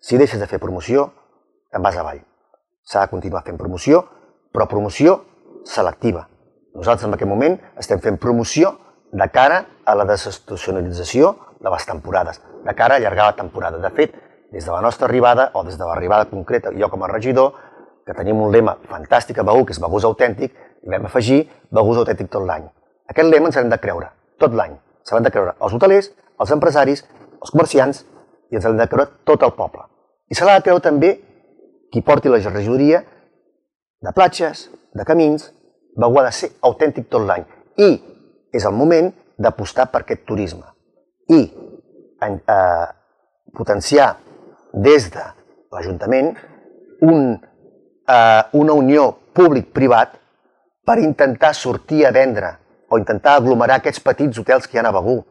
Si deixes de fer promoció, te'n vas avall. S'ha de continuar fent promoció, però promoció selectiva. Nosaltres en aquest moment estem fent promoció de cara a la desestacionalització de les temporades, de cara a allargar la temporada. De fet, des de la nostra arribada, o des de l'arribada concreta, jo com a regidor, que tenim un lema fantàstic a Begur, que és Begús autèntic, i vam afegir Begús autèntic tot l'any. Aquest lema ens l'hem de creure, tot l'any. Se l'han de creure els hotelers, els empresaris, els comerciants, i ens l'han de creure tot el poble. I se l'ha de creure també qui porti la regidoria de platges, de camins. Begur ha de ser autèntic tot l'any. I és el moment d'apostar per aquest turisme i potenciar des de l'Ajuntament una unió públic-privat per intentar sortir a vendre o intentar aglomerar aquests petits hotels que hi ha a Begur.